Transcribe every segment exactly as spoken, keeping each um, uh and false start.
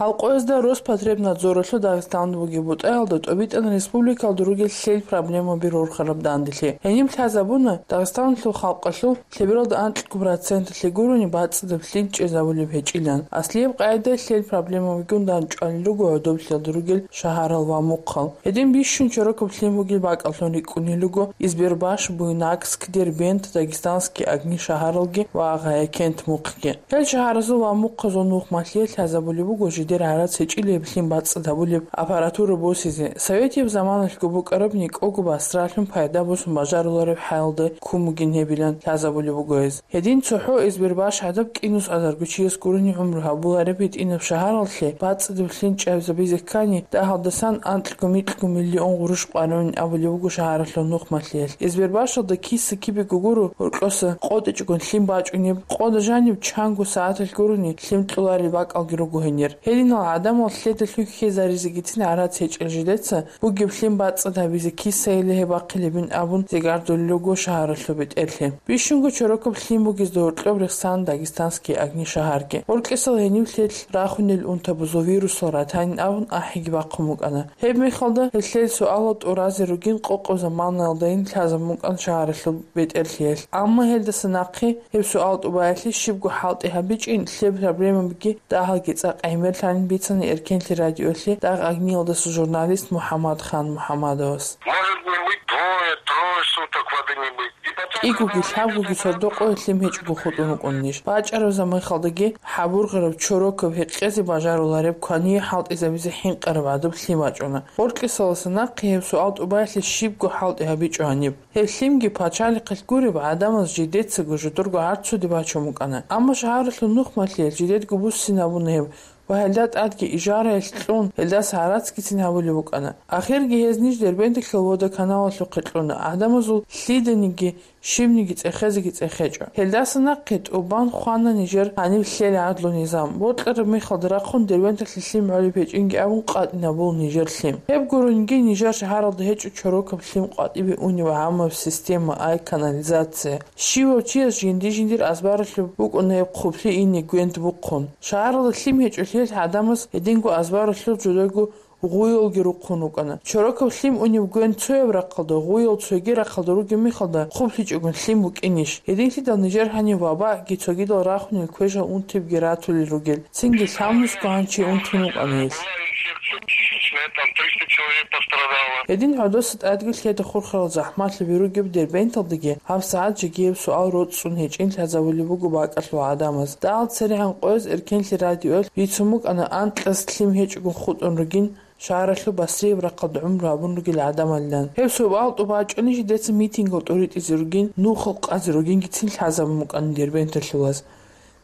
Гьал къоязда Роспотребнадзоралъул Дагъистаналда бугеб бутӀаялда тӀобитӀана республикалда ругел лъел проблемаби рорхараб данделъи. Гьениб лъазабуна Дагъистаналъул халкъалъул лъебералда анкьго проценталъе гурони бацӀцӀадаб лъим чӀезабулеб гьечӀилан. Аслияб къагӀида лъел проблемабигун данчӀвалел руго гӀодоблъиялда ругел шагьарал ва мухъал. Гьедин бищун чорокаб лъим бугел бакӀаллъун рикӀкӀунел руго Избербаш, Буйнакск, Дербент, Дагестанские огни шагьаралги ва Агъаян-Кент мухъги. Гьел шагьаразул ва мухъазул нухмалъие лъазабулеб буго жидер гӀарац гьечӀилеб лъим бацӀцӀад гьабулеб аппаратура босизе, советияб заманалъго букӀараб никӀого басралъун пайда босун бажарулареб хӀалалда ккун бугин гьебилан лъазабулеб буго гьез. Гьедин цохӀо Избербаш гӀадаб кӀинусазарго чияс гурони гӀумру гьабулареб гьитӀинаб шагьаралъе бацӀцӀадаб лъим чӀезабизе ккани, дагьалдасан анкьго-микьго миллион гъурущ къваригӀунин абулеб буго шагьаралъул нухмалъиялъ. Избербашалда киса-кибего гуро гьоркьоса къотӀичӀогун лъим бачӀунеб, къода жаниб чанго сагӀаталъ гурони лъим кьоларел бакӀалги руго гьенир. Гьединал гӀадамал лъедалъун хьезаризегицин гӀарац гьечӀел жидеца бугеб лъим бацӀцӀад гьабизе кисайила гьеб бахъилебин абун зигардулел руго шагьаралъул бетӀерлъи. Бищунго чорокаб лъим бугезда гьоркьоб рехсан Дагестанские огни шагьарги. Гьоркьисал гьенив лъелъ рахунел унтабазул вирусал ратанин абун ахӀиги бахъун букӀана. Гьеб мехалда гьелъел суалал тӀуразе ругин къокъаб заманаялдайин лъазабун букӀана шагьаралъул бетӀерлъиялъ. Амма гьелдаса нахъе гьеб суал тӀубаялъе щибго хӀалтӀи гьабичӀин, лъеб проблемабиги дагьалги цӀакъ гӀемерлъанин бицана Эркенлъи радиолъе дагъ огниялдаса журналист МухӀаммадхан МухӀаммадовас. Может не быть двое, трое суток воды не быть. И потом, КӀигоги когда лъабгоги сордо къоялъ лъим гьечӀого хутӀун рукӀунищ? БачӀараб замахалдаги хӀабургъараб чорокаб гьекъезе бажарулареб квание хӀалтӀизабизе хӀинкъараб гӀадаб лъим бачӀуна. Гьоркьисаласа нахъе гьеб суал тӀубаялъе щибго хӀалтӀи гьабичӀо гьаниб. Гьеб лъимги пачалихъалъ гуреб гӀадамаз жидецаго жидерго гӀарцуде бачун букӀана. Амма шагьаралъул нухмалъиялъ жидедго буссинабуна гьеб ва гьелда тӀадги ижараялъ кьун, гьелдаса гӀарацгицин гьабулеб букӀана. Ахирги гьез ниж Дербенталъул водоканалалъухъе кьуна, гӀадамазул лъиданиги щибниги цӀехезеги цӀехечӀо. Гьелдаса нахъе тӀубан хвана нижер гьаниб лъел гӀадлу-низам. Бокьараб мехалда рахъун Дербенталъе лъим гӀолеб гьечӀинги абун къватӀинабула нижер лъим. Гьеб гуронги нижер шагьаралда гьечӀо чорокаб лъим къватӀибе унеб гӀаммаб система, ай канализация. Щивав чияс жинди-жиндир азбаралъуб букӀуна гьеб хъублъи ине гвент бухъун. Шагьаралда лъим гьечӀолъиялъ гӀадамаз гьединго азбаралъул жудаго гъуялги рухъун рукӀана. Чорокаб лъим унеб гвент цояб рахъалда, гъуял цоги рахъалда ругеб мехалда хъублъичӀогун лъим букӀинищ? Гьединлъидал нижер гьанив вабаъги цогидал рахунел квешал унтибги ратулел ругел. Цинги лъабнусго гьанчи унтун вукӀана гьелъ. Гьедин гӀодоса тӀадги лъеда хурхарал захӀмалъаби ругеб Дербенталдаги гьабсагӀат жеги гьеб суал роцӀцӀун гьечӀин лъазабулеб буго бакӀалъул гӀадамаз. Дагьал церегӀан къояз Эркенлъи радиоялъ бицун букӀана анкьас лъим гьечӀого хутӀун ругин шагьаралъул Басрияб рахъалда гӀумру гьабун ругел гӀадамалилан. Гьеб суал тӀубачӀони жидеца митингал тӀуритӀизе ругин, нухал къазе ругингицин лъазабун букӀана Дербенталъулаз.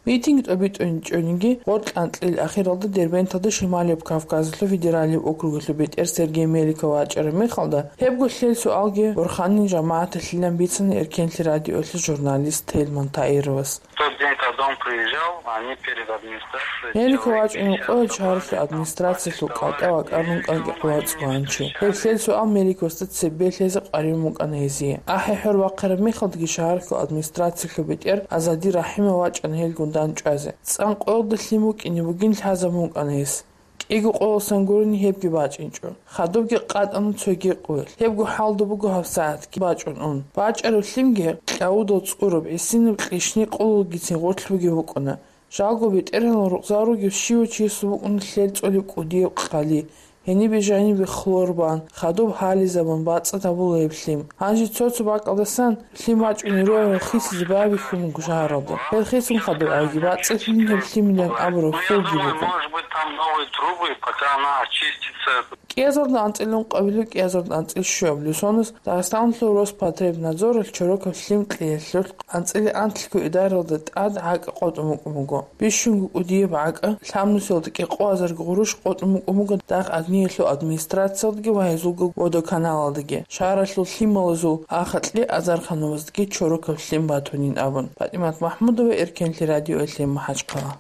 Митинг тӀобитӀунчӀониги, гъоркь анкьил ахиралда Дербенталда Шималияб Кавказалъул федералияб округалъул бетӀер Сергей Меликов вачӀараб мехалда, гьебго лъел суалги борханин жамагӀаталъилан бицана Эркенлъи радиолъул журналист Тельман Таировас. В тот день, когда он приезжал, они перед администрацией Меликов вачӀунев къоялъ шагьаралъул администрациялъул кӀалтӀа вакӀарун кӀанги къулацӀ ванчи. Гьеб лъел суал Меликовасда цебе лъезе къваригӀун букӀана гьезие. АхӀи-хӀор бахъараб мехалдаги шагьаралъул администрациялъул бетӀер Азади Рахимов вачӀана гьелгун дандчӀвазе. ЦӀан къоялда лъим букӀине бугин лъазабун букӀана гьес. КӀиго къоялдасан гурони гьебги бачӀинчӀо. Хадубги къатӀана цоги къоялъ. Гьебго хӀалда буго гьабсагӀатги бачӀун ун. БачӀараб лъимги кьавудал цӀураб, гӀисинаб кьишни къулалгицин гъорлъ бугеб букӀуна. Жалго бетӀергьанал рукъзал ругев щивав чиясул букӀуна лъел цӀолеб кӀудияб къали. Гьенибе жанибе хлор бан, хадуб гьализабун бацӀцӀад гьабула гьеб лъим. Гьанже цо-цо бакӀалдасан лъим бачӀунел ругел хисизе байбихьун буго шагьаралда. Гьел хисун хадуб гӀайги бацӀцӀалъин гьеб лъимилан абураб хьулги буго. Может быть, там новые трубы, пока она очистится. КӀиазарда анцӀила ункъабилеб, кӀиазарда анцӀила щуабилеб соназ Дагъистаналъул Роспотребнадзоралъ чорокаб лъим кьеялъулъ анцӀила анлъго идаралда тӀад гӀакӀа къотӀун букӀун буго. Бищунго кӀудияб гӀакӀа лъабнусиялда кӀикъоазарго гъурущ къотӀун букӀун буго дагъ агниялъул администрациялдаги ва гьезулго водоканалалдаги, шагьаралъул лъималазул ахатӀлъи азарханаваздаги чорокаб лъим батунин абун. ПатӀимат МахӀмудова, Эркенлъи радиоялъе, МахӀачхъала.